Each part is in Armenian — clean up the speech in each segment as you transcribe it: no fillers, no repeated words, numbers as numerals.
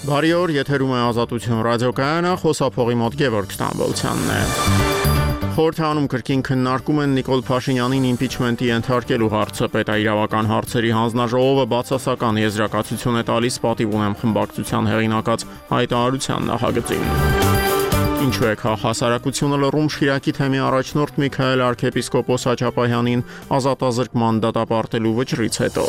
Բարի օր, եթերում է Ազատություն ռադիոկայանը, խոսափողի մոտ Գևորգ Ստամբոլցյանն է։ Խորհրդանում կրկին քննարկում են Նիկոլ Փաշինյանին իմպիչմենտի ենթարկելու հարցը։ Պետաիրավական հարցերի հանձնաժողովը բացասական եզրակացություն է տալիս պատիվ ունեմ խմբակցության հեղինակած հայտարարության նախագծին։ Ինչու է հասարակությունը լռում Շիրակի թեմի առաջնորդ Միքայել arczepiskopos Հաչապահյանին ազատազրկման դատապարտելու վճռից հետո։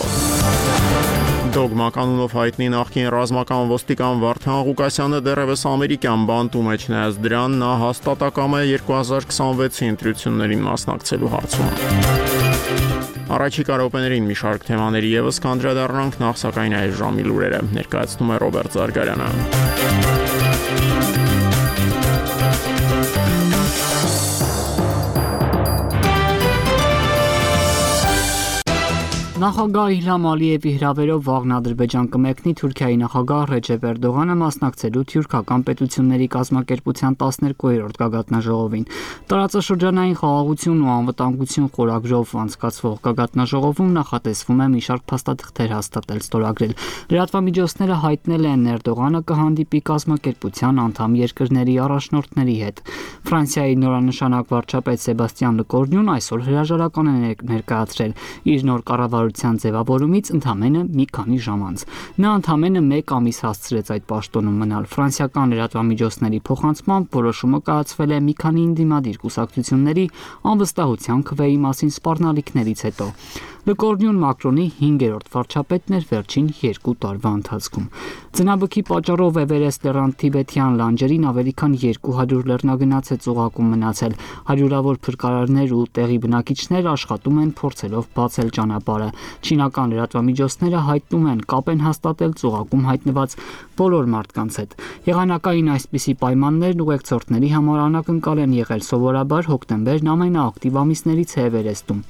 Դոգմա կանունով հայտնի նախկին ռազմական ոստիկան Վարդան Ղուկասյանը դեռևս ամերիկյան բանտում է, չնայած դրան նա հաստատակամ է 2026-ի ընտրություններին մասնակցելու հարցում։ Առաջիկա րոպեներին մի շարք թեմաների ևս կանդրադառնանք, նախ սակայն այս ժամի լուրերը ներկայացնում է Ռոբերտ Զարգարյանը։ Նախագահ Իլհամ Ալիևի հրավերով վաղն Ադրբեջան կմեկնի Թուրքիայի նախագահ Ռեջեփ Էրդողանը մասնակցելու թյուրքական պետությունների կազմակերպության 12-րդ գագաթնաժողովին։ Տարածաշրջանային խաղաղություն ու անվտանգություն խորագրով անցկացվող գագաթնաժողովում նախատեսվում է մի շարք փաստաթղթեր հաստատել ստորագրել։ Լրատվամիջոցները հայտնել են Էրդողանը կհանդիպի կազմակերպության անդամ երկրների առաջնորդների հետ։ Ֆրանսիայի նորանշանակ վարչապետ Սեբաստիան Լկորնյուն այսօր հրաժարական է ներկայացրել իր նոր կառավարության ձևավորումից ընդամենը մի քանի ժամ անց։ Նա ընդամենը 1 ամիս հասցրեց այդ պաշտոնում մնալ։ Ֆրանսիական լրատվամիջոցների փոխանցմամբ որոշումը կայացվել է մի քանի ընդդիմադիր կուսակցությունների անվստահության քվեի մասին սպառնալիքներից հետո։ Լկորնյուն Մակրոնի 5-րդ վարչապետն էր վերջին 2 տարվա ընթացքում։ Ձնաբքի պատճառով Էվերեստ լեռան թիբեթյան լանջերին ավելի քան 200 լեռնագնաց է ծուղակում մնացել։ Հարյուրավոր փրկարարներ ու տեղի բնակիչներ աշխատում են փորձելով բացել ճանապարհը։ Չինական լրատվամիջոցները հայտնում են կապ են հաստատել ծուղակում հայտնված բոլոր մարդկանց հետ։ Եղանակային այսպիսի պայմաններն ուղեկցորդների համար անակնկալ են եղել սովորաբար հոկտեմբերն ամենաակտիվ ամիսներից է Էվերեստում։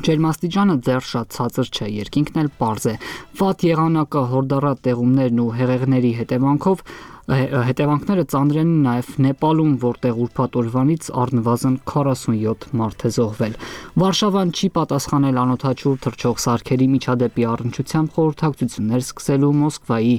Ջերմաստիճանը դեռ շատ ցածր չէ, երկինքն էլ պարզ է։ Վատ եղանակը, հորդառատ տեղումներն ու հեղեղների հետևանքները ծանր են նաև Նեպալում, որտեղ ուրբաթ օրվանից առնվազն 47 մարդ է զոհվել։ Վարշավան չի պատասխանել անօդաչու թռչող սարքերի միջադեպի առնչությամբ խորհրդակցություններ սկսելու Մոսկվայի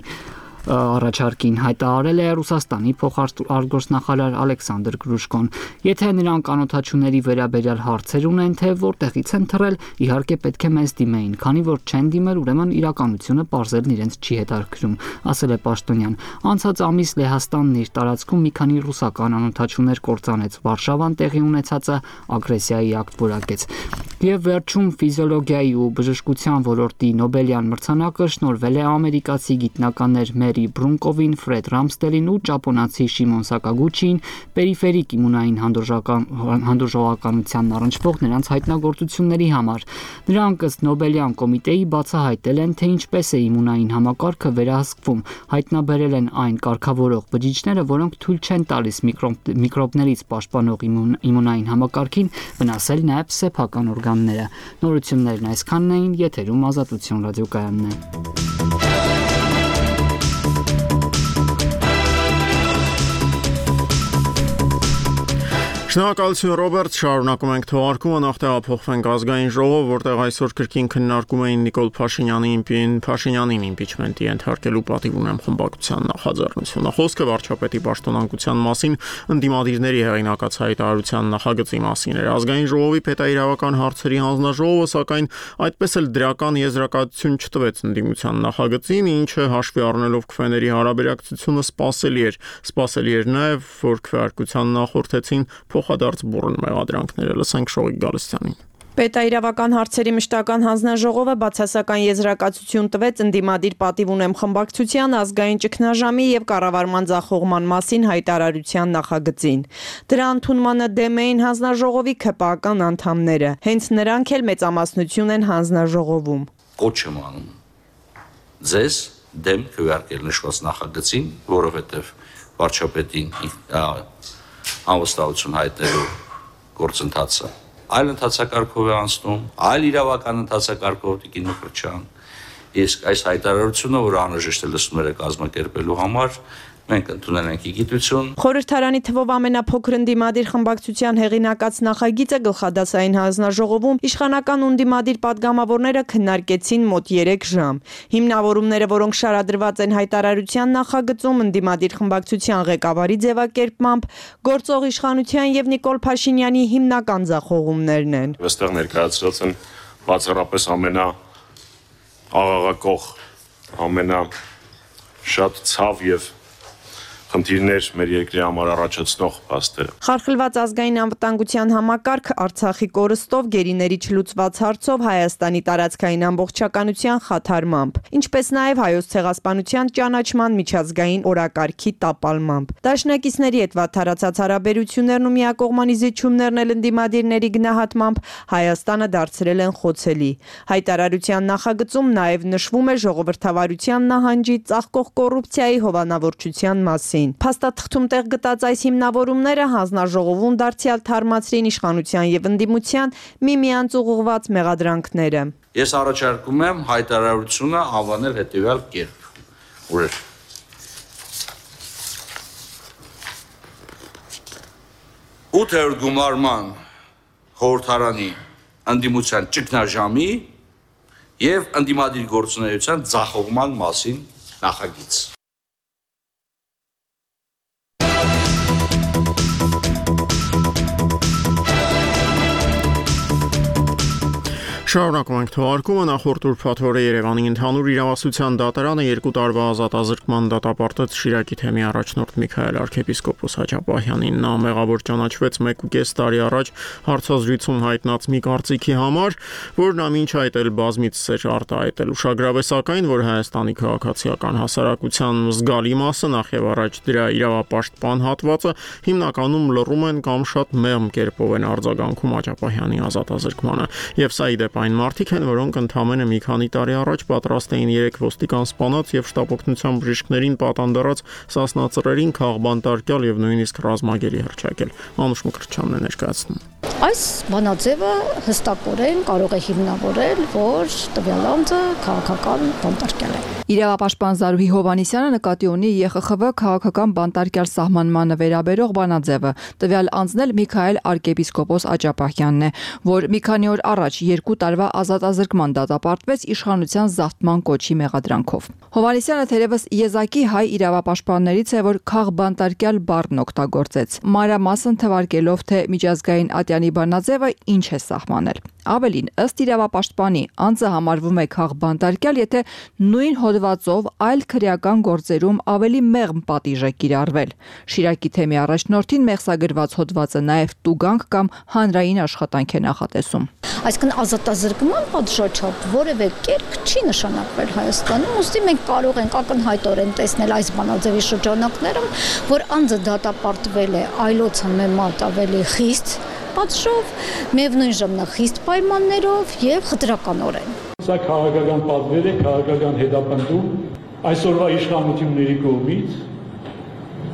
առաջարկին, հայտարարել է Ռուսաստանի փոխարտգործնախարար Ալեքսանդր Գրուշկոն։ Եթե նրանք անօդաչուների վերաբերյալ հարցեր ունեն, թե որտեղից են թռել, իհարկե պետք է մեզ դիմեին, քանի որ չեն դիմել, ուրեմն իրականությունը պարզելն իրենց չի հետաքրքրում, ասել է պաշտոնյան։ Անցած ամիս Լեհաստանն իր տարածքում մի քանի ռուսական անօդաչուներ կործանեց։ Վարշավան տեղի ունեցածը ագրեսիայի ակտ որակեց։ Եվ վերջում ֆիզիոլոգիայի ու բժշկության ոլորտի Նոբելյան մրցանակը շնորհվել է ամերիկացի գիտնականներ Մերի Բրունկովին, Ֆրեդ Ռամստելին ու ճապոնացի Շիմոն Սակագուչիին պերիֆերիկ իմունային հանդուրժողականությանն առնչվող նրանց հայտնագործությունների համար։ Նրանք ըստ Նոբելյան կոմիտեի բացահայտել են, թե ինչպես է իմունային համակարգը վերահսկվում, հայտնաբերել են այն կարգավորող բջիջները, որոնք թույլ չեն տալիս միկրոբներից պաշտպանող իմունային համակարգին վնասել նաև սեփական օրգանները։ Նորություններն այսքանն էին, եթերում Ազատություն ռադիոկայանն է։ Շնորհակալություն Ռոբերտ, շարունակում ենք թողարկումը, նախ տեղափոխվենք ազգային ժողով, որտեղ այսօր կրկին քննարկում էին Նիկոլ Փաշինյանին իմպիչմենտի ենթարկելու պատիվ ունեմ խմբակցության նախաձեռնությունը։ Խոսքը վարչապետի պաշտոնանկության մասին ընդդիմադիրների հեղինակած հայտարարության նախագծի մասին էր։ Ազգային ժողովի պետաիրավական հարցերի հանձնաժողովը, սակայն այդպես էլ դրական եզրակացություն չտվեց ընդդիմության նախագծին, ինչը հաշվի առնելով քվեների հարաբերակցությունը սպասելի էր նաև, որ քվեարկության նախորդեցին փոխադարձ բուռն մեղադրանքները։ Լսենք Շողիկ Գալստյանին։ Պետաիրավական հարցերի մշտական հանձնաժողովը բացասական եզրակացություն տվեց ընդդիմադիր պատիվ ունեմ խմբակցության ազգային ճգնաժամի եւ կառավարման ձախողման մասին հայտարարության նախագծին։ Դրա ընդունմանը դեմ էին հանձնաժողովի ՔՊԱ-ական անդամները։ Հենց նրանք էլ մեծամասնություն են հանձնաժողովում։ Կոչ եմ անում ձեզ դեմ քվեարկել նշված նախագծին, որովհետեւ վարչապետին անվստահություն հայտնելու գործընթացը այլ ընթացակարգով է անցնում, այլ իրավական ընթացակարգով Տիկին Մկրտչյան։ Իսկ այս հայտարարությունը, որ անհրաժեշտ է լսումները կազմակերպելու համար, Մենք ընդունել ենք գիտություն։ Խորհրդարանի թվով ամենափոքր ընդդիմադիր խմբակցության հեղինակած նախագիծը գլխադասային հանձնաժողովում իշխանական ընդդիմադիր պատգամավորները քննարկեցին մոտ 3 ժամ։ Հիմնավորումները, որոնք շարադրված են հայտարարության նախագծում, ընդդիմադիր խմբակցության ղեկավարի ձևակերպմամբ գործող իշխանության եւ Նիկոլ Փաշինյանի հիմնական ձախողումներն են։ Այստեղ ներկայացրած են բացառապես ամենաաղաղակող, ամենաշատ ցավ եւ խնդիրներ մեր երկրի համար առաջացնող փաստերը։ Խարխլված ազգային անվտանգության համակարգ, Արցախի կորստով, գերիների չլուծված հարցով, Հայաստանի տարածքային ամբողջականության խաթարմամբ, ինչպես նաև Հայոց ցեղասպանության ճանաչման միջազգային օրակարգի տապալմամբ։ Դաշնակիցների հետ վատթարացած հարաբերություններն ու միակողմանի զիջումներն էլ ընդդիմադիրների գնահատմամբ Հայաստանը դարձրել են խոցելի։ Հայտարարության նախագծում նաև նշվում է ժողովրդավարության նահանջի, ծաղկող կոռուպցիայի հովանավորչության մասին։ Փաստաթղթում տեղ գտած այս հիմնավորումները հանձնաժողովում դարձյալ թարմացրին իշխանության եւ ընդդիմության միմյանց ուղղված մեղադրանքները։ Ես առաջարկում եմ հայտարարությունը անվանել հետեւյալ կերպ։ Ուր 8-րդ գումարման խորհրդարանի ընդդիմության ճգնաժամի եւ ընդդիմադիր գործունեության ձախողման մասին նախագիծ։ Շարունակում ենք թողարկումը նախորդ ուրբաթ օրը Երևանի ընդհանուր իրավասության դատարանը 2 տարվա ազատազրկման դատապարտեց Շիրակի թեմի առաջնորդ Միքայել arczepiskopos Հաճապահյանին։ Նա մեղավոր ճանաչվեց 1.5 տարի առաջ հարցազրույցում հայտնած մի կարծիքի համար, որ նա մինչ այդ էլ բազմիցս էր արտահայտել։ Ուշագրավ է սակայն, որ Հայաստանի քաղաքացիական հասարակության զգալի մասը նախ եւ առաջ դրա իրավապաշտպան հատվածը հիմնականում լռում են կամ շատ մեղմ կերպով են արձագանքում Հաճապահյանի ազատազրկմանը։ Եվ սա ի դեպ այն մարդիկ են, որոնք ընդամենը մի քանի տարի առաջ պատրաստ էին 3 ոստիկան սպանած եւ շտապօգնության բժիշկներին պատանդարած Սասնա ծռերին քաղբանտարկյալ եւ նույնիսկ ռազմագերի հռչակել։ Անուշ Մկրտչյանն է ներկայացնում։ Այս բանաձևը հստակորեն կարող է հիմնավորել, որ տվյալ անձը քաղաքական բանտարկյալ է։ Իրավապաշտպան Զարուհի Հովհաննիսյանը նկատի ունի ԵԽԽՎ քաղաքական բանտարկյալ սահմանմանը վերաբերող բանաձևը։ Տվյալ անձն էլ Միքայել arczepiskopos Հաճապահյանն է, որ մի քանի օր առաջ 2 տարվա ազատազրկման դատապարտվեց իշխանության զավթման կոչի մեղադրանքով։ Հովհաննիսյանը թերևս եզակի հայ իրավապաշտպաններից է, որ քաղբանտարկյալ բառն օգտագործեց, մանրամասն թվարկելով, թե միջազգային ատյանի բանաձևը ինչ է սահմանել։ Ավելին, ըստ իրավապաշտպանի, անձը համարվում է քաղբանտարկյալ, եթե նույն հոդվածով այլ քրեական գործերում ավելի մեղմ պատիժ է կիրառվել։ Շիրակի թեմի առաջնորդին մեղսագրված հոդվածը նաև տուգանք կամ հանրային աշխատանք է նախատեսում։ Այսինքն ազատազրկման պատժաչափ որևէ կերպ չի նշանակվել Հայաստանում, ուստի մենք կարող ենք ակնհայտորեն տեսնել այս բանաձևի շրջանակներում, որ անձը դատապարտվել է այլոց համեմատ ավելի խիստ պատժով, միևնույն ժամանակ պայմաններով եւ խտրականորեն։ Սա քաղաքական պատվեր է, քաղաքական հետապնդում այսօրվա իշխանությունների կողմից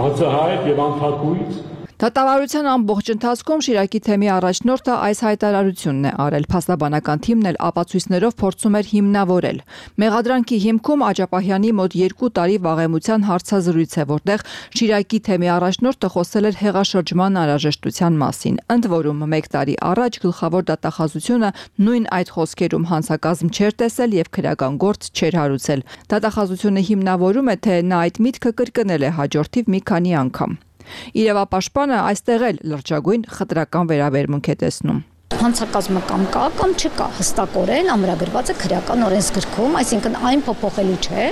հացահայտ եւ անփակույց։ Դատավարության ամբողջ ընթացքում Շիրակի թեմի առաջնորդը այս հայտարարությունն է արել։ Փաստաբանական թիմն էլ ապացույցներով փորձում էր հիմնավորել։ Մեղադրանքի հիմքում Հաճապահյանի մոտ 2 տարի վաղեմության հարցազրույց է, որտեղ Շիրակի թեմի առաջնորդը խոսել էր հեղաշրջման անհրաժեշտության մասին։ Ընդ որում 1 տարի առաջ գլխավոր դատախազությունը նույն այդ խոսքերում հանցակազմ չէր տեսել եւ քրեական գործ չէր հարուցել։ Դատախազությունը հիմնավորում է, թե նա այդ միտքը կրկնել է հաջորդիվ մի քանի անգամ։ Իրավապաշտպանը այստեղ էլ լրջագույն խտրական վերաբերմունք է տեսնում։ Հանցակազմը կամ կա կամ չկա, հստակորեն ամրագրված է քրեական օրենսգրքում, այսինքն այն փոփոխելու չէ,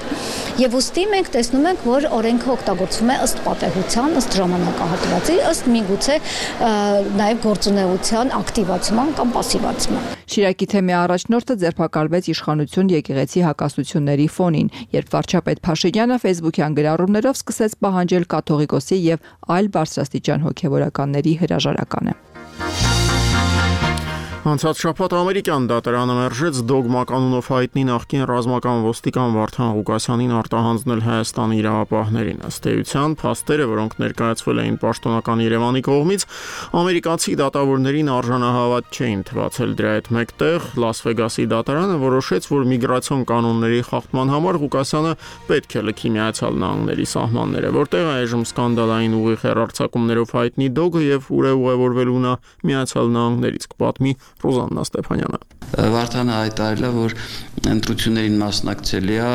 եւ ուստի մենք տեսնում ենք, որ օրենքը օգտագործվում է ըստ պատեհության, ըստ ժամանակահատվածի, ըստ միգուցե նաեւ գործունեության ակտիվացման կամ պասիվացման։ Շիրակի թեմի առաջնորդը ձերբակալվեց իշխանություն եկեղեցի հակասությունների ֆոնին, երբ վարչապետ Փաշինյանը Facebook-յան գրառումներով սկսեց պահանջել կաթողիկոսի եւ այլ բարձրաստիճան հոգեվորականների հրաժարականը։ Անցած շաբաթ ամերիկյան դատարանը մերժեց դոգմա կանոնով հայտնի նախկին ռազմական ոստիկան Վարդան Ղուկասյանին արտահանձնել Հայաստանի իրավապահներին։ Ըստ էության, փաստերը, որոնք ներկայացվել էին պաշտոնական Երևանի կողմից, ամերիկացի դատավորներին արժանահավատ չէին թվացել։ Դրա հետ մեկտեղ Լաս Վեգասի դատարանը որոշեց, որ միգրացիոն կանոնների խախտման համար Ղուկասյանը պետք է լքի Միացյալ Նահանգների սահմանները, որտեղ այժմ սկանդալային ուղիղ հեռարձակումներով հայտնի դոգը եւ ուր է ուղևորվելու նա Միացյալ Նահանգներից, կպատմի Ռոզաննա Ստեփանյանը։ Վարդանը հայտարարել է, որ ընտրություններին մասնակցելի է,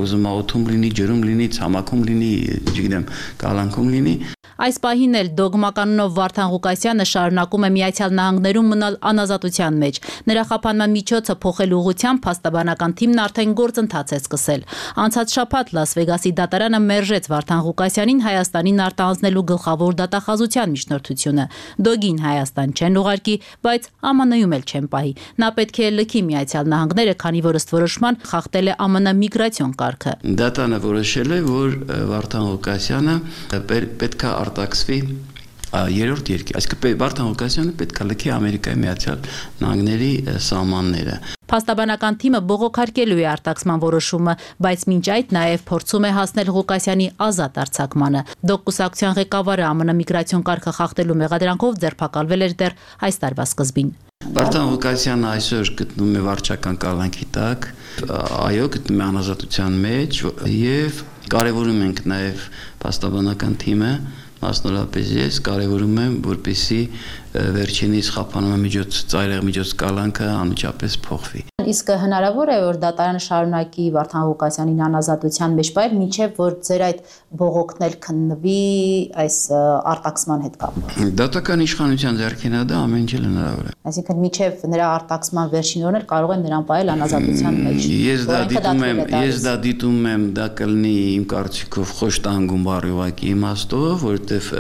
ուզում է օդում լինի, ջրում լինի, ցամաքում լինի, չգիտեմ, կալանքում լինի։ Այս պահին էլ դոգմականով Վարդան Ղուկասյանը շարունակում է Միացյալ Նահանգներում մնալ անազատության մեջ։ Նրա խափանման միջոցը փոխելու ուղղությամբ փաստաբանական թիմն արդեն գործընթաց է սկսել։ Անցած շաբաթ Լաս Վեգասի դատարանը մերժեց Վարդան Ղուկասյանին Հայաստանին արտահանձնելու գլխավոր դատախազության միջնորդությունը։ Դոգին Հայաստան չեն ուղարկի, բայց ԱՄՆ-ում էլ չեն պահի։ Նա պետք է լքի Միացյալ Նահանգները, քանի որ ըստ որոշման խախտել է ԱՄՆ միգրացիոն կարգը։ Դատանը որոշել է, որ Վարդան Ղուկասյանը պետք է արտաքսվի երրորդ երկիր, այսինքն Վարդան Ղուկասյանը պետք է լքի Ամերիկայի Միացյալ Նահանգների սահմանները։ Փաստաբանական թիմը բողոքարկելու է արտաքսման որոշումը, բայց մինչ այդ նաև փորձում է հասնել Ղուկասյանի ազատ արձակմանը։ Դոգկուսակցության ղեկավարը ԱՄՆ միգրացիոն կարգը խախտելու մեղադրանքով ձերբակալվել էր դեռ այս տարվա սկզբին։ Վարդան Ղուկասյանը այսօր գտնվում է վարչական կալանքի տակ, այո, գտնվում է անազատության մեջ եւ կարևորում ենք նաև փաստաբանական թիմը, մասնավորապես ես կարևորում եմ, որպեսզի վերջինիս խափանման ծայրահեղ միջոց կալանքը անմիջապես փոխվի։ Իսկ հնարավոր է, որ դատարանը շարունակի Վարդան Ղուկասյանին անազատության մեջ պահել, մինչև որ ձեր այդ բողոքն էլ քննվի այս արտաքսման հետ կապված։ Դատական իշխանության ձեռքին է դա, ամեն ինչ հնարավոր է։ Այսինքն մինչև նրա արտաքսման վերջին օրն էլ կարող են նրան պահել անազատության մեջ։ Ես դա դիտում եմ, դա կլինի իմ կարծիքով խոշտանգում բառի ուղղակի իմաստով, որովհետև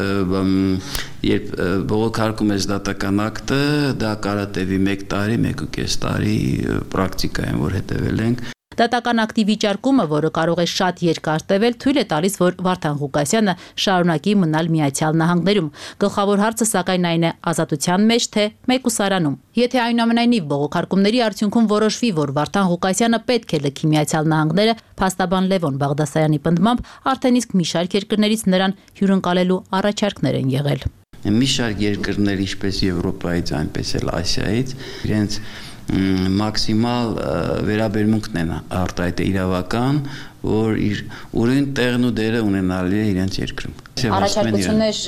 երբ բողոքարկում ես դատական ակտը, դա կարա տևի 1 տարի, 1.5 տարի պրակտիկայում, որ հետևել ենք։ Դատական ակտի վիճարկումը, որը կարող է շատ երկար տևել, թույլ է տալիս, որ Վարդան Ղուկասյանը շարունակի մնալ Միացյալ Նահանգներում։ Գլխավոր հարցը սակայն այն է ազատության մեջ, թե մեկուսարանում։ Եթե այնուամենայնիվ բողոքարկումների արդյունքում որոշվի, որ Վարդան Ղուկասյանը պետք է լքի Միացյալ Նահանգները, փաստաբան Լևոն Բաղդասարյանի պնդմամբ արդեն իսկ մի շարք երկրներից նրան հյուրընկալելու առաջարկներ են եղել։ Մի շարք երկրներ, ինչպես Եվրոպայից, այնպես էլ Ասիայից, իրենց մաքսիմալ վերաբերմունքն են արտահայտել իրավական, որ իր ուրույն տեղն ու դերը ունենալի է իրենց երկրում։ Առաջարկություններ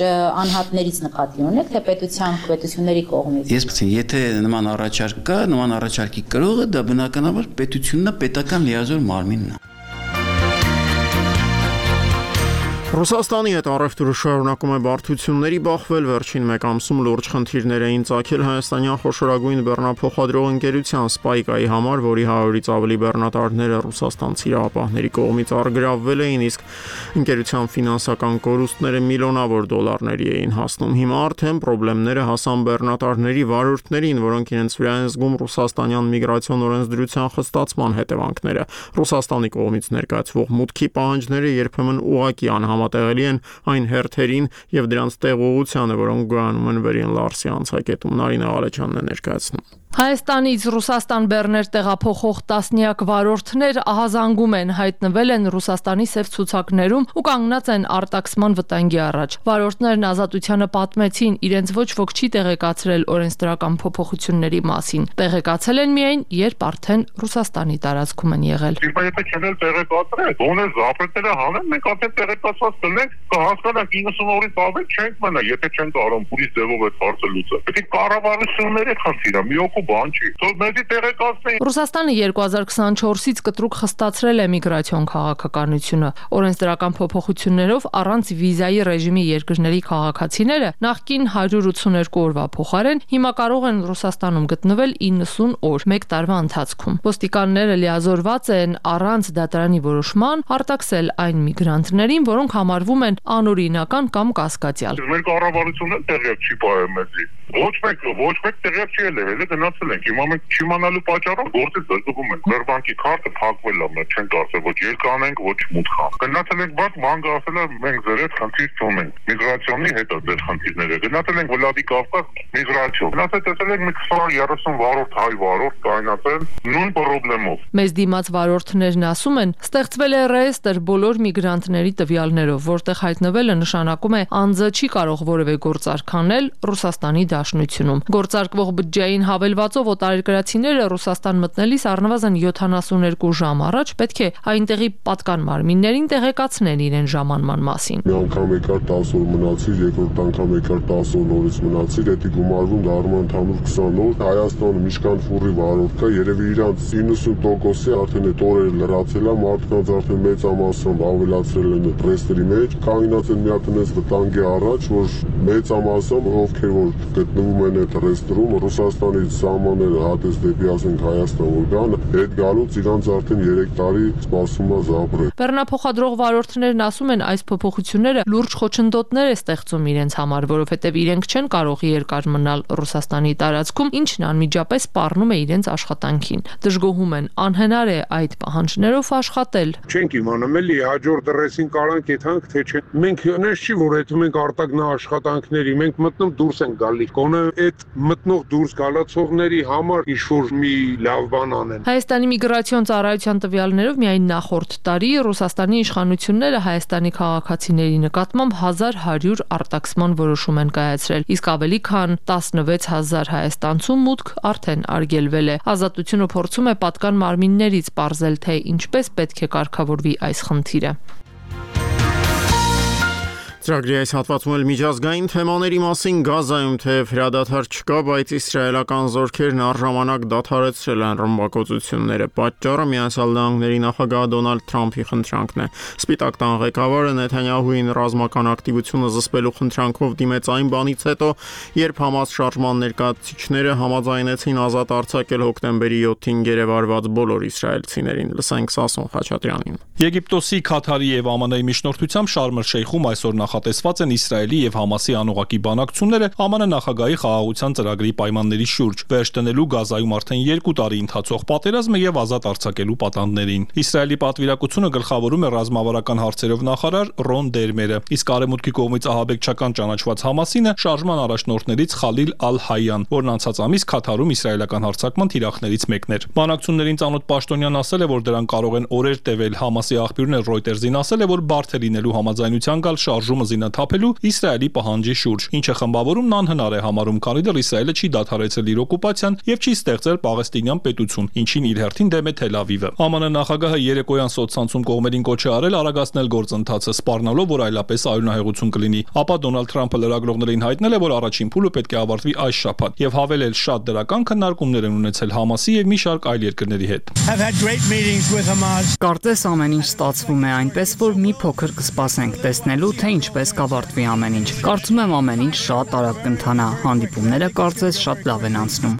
անհատներից նկատի ունեք, թե պետությունների կողմից։ Եթե նման առաջարկ կա, նման առաջարկի կրողը դա բնականաբար պետությունն է, պետական լիազոր մարմինն է։ Ռուսաստանի հետ առևտուրը շարունակում է բարդությունների բախվել, վերջին 1 ամսում լուրջ խնդիրներ էին ծագել հայաստանյան խոշորագույն բեռնափոխադրող ընկերության Spike-ի համար, որի 100-ից ավելի բեռնատարները ռուսաստանցի իրավապահների կողմից առգրավվել էին, իսկ ընկերության ֆինանսական կորուստները միլիոնավոր դոլարների էին հասնում։ Հիմա արդեն խնդիրները հասան բեռնատարների վարորդներին, որոնք իրենց վրա են զգում ռուսաստանյան միգրացիոն օրենսդրության խստացման հետևանքները։ Ռուսաստանի կողմից ներկայացվող մուտքի պահանջները երբեմն ուղղակի անհամատեղելի են այն հերթերին եւ դրանց տեղողությանը, որոնք գոյանում են Վերին Լարսի անցակետում։ Նարինե Ղալեչյանն է ներկայացնում։ Հայաստանից Ռուսաստան բեռներ տեղափոխող տասնյակ վարորդներ ահազանգում են, հայտնվել են Ռուսաստանի սև ցուցակներում ու կանգնած են արտաքսման վտանգի առաջ։ Վարորդներն ազատությանը պատմեցին, իրենց ոչ ոք չի տեղեկացրել օրենսդրական փոփոխությունների մասին։ Տեղեկացել են միայն, երբ արդեն Ռուսաստանի տարածքում են եղել։ Եթե չեն տեղեկացրել, ոնը զապրետերը հանեն, մենք արդեն տեղեկացված կլինենք, կհասկանանք 90 օրից ավել չենք մնա, եթե չեն կարող փուլից ձևով այդ հարցը լուծել։ Պետք է կառավարությունների խնդիր է, մի օգու բան չի։ Թող մեզի տեղեկացնեն։ Ռուսաստանը 2024-ից կտրուկ խստացրել է միգրացիոն քաղաքականությունը։ Օրենսդրական փոփոխություններով առանց վիզայի ռեժիմի երկրների քաղաքացիները նախկին 182 օրվա փոխարեն հիմա կարող են Ռուսաստանում գտնվել 90 օր 1 տարվա ընթացքում։ Ոստիկանները լիազորված են առանց դատարանի որոշման արտաքսել այն միգրանտներին, որոնք համարվում են անօրինական կամ կասկածյալ։ Մեր կառավարությունը տեղյակ չի պահել մեզի։ Ոչ մեկ տեղյակ չի ելել, հենց գնացել ենք։ Հիմա մենք չիմանալու պատճառով գործից զրկվում ենք։ Մեր բանկի քարտը փակվել է, մենք չենք ասել ոչ ելկանենք, ոչ մուտք անենք։ Գնացել ենք բանկ, բանկը ասել է մենք ձեր հետ խնդիր չունենք։ Միգրացիոնի հետ է ձեր խնդիրները։ Գնացել ենք Վլադիկավկազ միգրացիոն։ Գնացել տեսել ենք մի 20-30 վարորդ հայ վարորդ կայնացել նույն խնդրելով։ Մեզ դիմաց վարորդներն ասում են, ստեղծվել է ռեեստր բոլոր միգրանտների տվյալներով, որտեղ հայտնվելը նշանակում է անձը չի կարող որևէ գործարք անել Ռուսաստանի Դաշնությունում։ Գործարկվող բջջային հավելվածով օտարերկրացիները Ռուսաստան մտնելիս առնվազն 72 ժամ առաջ պետք է այնտեղի պատկան մարմիններին տեղեկացնեն իրեն ժամանման մասին։ Մի անգամ եկար 10 օր մնացիր, երկրորդ անգամ եկար 10 օր նորից մնացիր, դա գումարվում դառնում ընդհանուր 20 օր։ Հայաստանը միշկան ֆուրի վարորդ կա, երևի իրանց 90%-ը արդեն այդ օրերը լրացել է, մարդկանց արդեն մեծամասամբ ավելացրել են ռեեստրի մեջ, կանգնած են մի հատ այնպես վտանգի առաջ, որ մեծամասամբ ովքեր որ գտնվում են այդ ռեեստրում, Ռուսաստանից սահմանները հատես դեպի ասենք Հայաստան որ գան, այդ գալուց իրանց արդեն 3 տարի սպասում է զաբրել։ Բեռնափոխադրող վարորդներն ասում են, այս փոփոխությունները լուրջ խոչընդոտներ է ստեղծում իրենց համար, որովհետև իրենք չեն կարող երկար մնալ Ռուսաստանի տարածքում, ինչն անմիջապես սպառնում է իրենց աշխատանքին։ Դժգոհում են, անհնար է այդ պահանջներով աշխատել։ Չենք իմանում էլի հաջորդ դրեսին կարանք եթանք թե չէ։ Մենք նես չի որ այդ մենք արտագնա աշխատանքների, մենք մտնում դուրս են գալի։ Կոնե այդ մտնող դուրս գալացողների համար ինչ-որ մի լավ բան անեն։ Հայաստանի միգրացիոն ծառայության տվյալներով միայն նախորդ տարի Ռուսաստանի իշխանությունները Հայաստանի քաղաքացիների նկատմամբ 1100 արտաքսման որոշում են կայացրել, իսկ ավելի քան 16000 հայաստանցու մուտք արդեն արգելվել է։ Ազատությունը փորձում է պատկան մարմիններից պարզել, թե ինչպես պետք է կարգավորվի այս խնդիրը։ Ծրագրի այս հատվածում էլ միջազգային թեմաների մասին Գազայում թեև հրադադար չկա, բայց իսրայելական զորքերն առժամանակ դադարեցրել են ռմբակոծությունները։ Պատճառը Միացյալ Նահանգների նախագահ Դոնալդ Թրամփի խնդրանքն է։ Սպիտակ տան ղեկավարը Նեթանյահուին ռազմական ակտիվությունը զսպելու խնդրանքով դիմեց այն բանից հետո, երբ Համաս շարժման ներկայացուցիչները համաձայնեցին ազատ արձակել հոկտեմբերի 7-ին գերեվարված բոլոր իսրայելցիներին։ Լսենք Սասուն Խաչատրյանին։ Եգիպտոսի, Քաթարի եւ ԱՄՆ-ի միջնորդությամբ Շարմ el-Շեյխում այսօր նախատեսված են Իսրայելի եւ Համասի անուղակի բանակցությունները ԱՄՆ նախագահի խաղաղության ծրագրի պայմանների շուրջ, վերջ դնելու Գազայում արդեն 2 տարի ընթացող պատերազմը եւ ազատ արձակելու պատանդներին։ Իսրայելի պատվիրակությունը գլխավորում է ռազմավարական հարցերով նախարար Ռոն Դերմերը, իսկ արևմուտքի կողմից ահաբեկչական ճանաչված Համասինը շարժման առաջնորդներից Խալիլ Ալ-Հայյան, որն անցած ամիս Քաթարում իսրայելական հարձակման թիրախներից մեկն էր։ Բանակցություններին ծանոթ պաշտոնյան ասել է, որ դրանք կարող են օրեր տևել։ Համասի աղբյուրն Reuters-ին ասել է, որ բարդ է լինելու համաձայնության գալ շարժումը զինաթափելու Իսրայելի պահանջի շուրջ, ինչը խմբավորումն անհնար է համարում, քանի դեռ Իսրայելը չի դադարեցրել իր օկուպացիան եւ չի ստեղծել Պաղեստինյան պետություն, ինչին իր հերթին դեմ է Թել Ավիվը։ ԱՄՆ նախագահը երեկոյան սոցցանցում կողմերին կոչ է արել արագացնել գործընթացը, սպառնալով, որ այլապես արյունահեղություն կլինի։ Ապա Դոնալդ Թրամփը լրագրողներին հայտնել է, որ առաջին փուլը պետք է ավարտվի այս շաբաթ եւ հավելել շատ դրական քննարկումներ են ունեցել Համասի եւ մի շարք այլ երկրների հետ։ Կարծես ամեն ինչ ստացվում է այնպես, որ մի փոքր կսպասենք տեսնելու, թե ինչպես կավարտվի ամեն ինչ։ Կարծում եմ ամեն ինչ շատ արագ կընթանա, հանդիպումները կարծես շատ լավ են անցնում։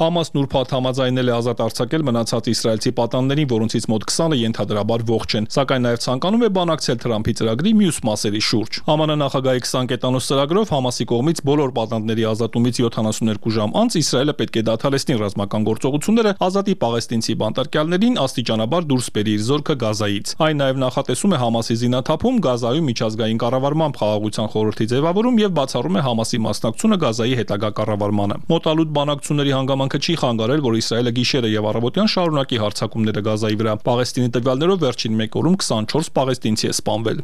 Համասն ուրբաթ համաձայնել է ազատ արձակել մնացած իսրայելցի պատանդներին, որոնցից մոտ 20-ը ենթադրաբար ողջ են, սակայն նաև ցանկանում է բանակցել Թրամփի ծրագրի մյուս մասերի շուրջ։ ԱՄՆ նախագահի 20 կետանոց ծրագրով Համասի կողմից բոլոր պատանդների ազատումից 72 ժամ անց Իսրայելը պետք է դադարեցնի ռազմական գործողությունները, ազատի պաղեստինցի բանտարկյալներին, աստիճանաբար դուրս բերի իր զորքը Գազայից։ Այն նաև նախատեսում է Համասի զինաթափում, Գազայում միջազգային կառավարման խաղաղության խորհրդի ձևավորում եւ բացառում է Համասի մասնակցությունը Գազայի հետագա կառավարմանը։ Մոտալուտ բանակցությունների հանգամանքը չի խանգարել, որ Իսրայելը գիշերը եւ առավոտյան շարունակի հարձակումները Գազայի վրա։ Պաղեստինի տվյալներով վերջին 1 օրում 24 պաղեստինցի է սպանվել։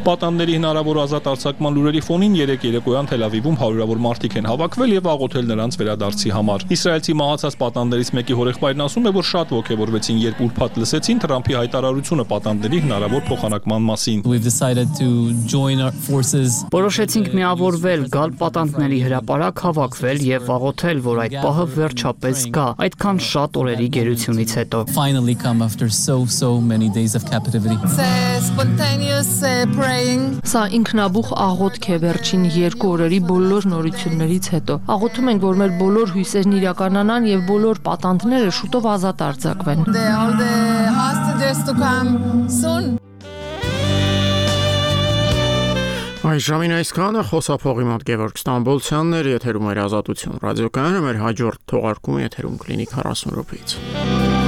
Պատանդների հնարավոր ազատ արձակման լուրերի ֆոնին երեկ երեկոյան Թել Ավիվում հարյուրավոր մարդիկ են հավաքվել եւ աղոթել նրանց վերադարձի համար։ Իսրայելցի մահացած պատանդներից մեկի հորեղբայրն ասում է, որ շատ ողջևորվեցին, երբ ուրբաթ լսեցին Թրամփի հայտարարությունը պատանդների հնարավոր փոխանակման մասին։ Որոշեցինք միավորվել, գալ պատանդների հրապարակ հավաքվել եւ աղոթել, որ այդ պահը վերջապես գա, այդքան շատ օրերի գերությունից հետո։ Սա ինքնաբուխ աղոթք է վերջին 2 օրերի բոլոր նորություններից հետո։ Աղոթում ենք, որ մեր բոլոր հույսերն իրականանան եւ բոլոր պատանդները շուտով ազատ արձակվեն։ Այս ժամին այսքանը խոսափողի մոտ Գևորգ Ստամբոլցյանն էր, եթերում էր Ազատություն ռադիոկայանը, մեր հաջորդ թողարկումը եթերում կլինի 40 րոպեից։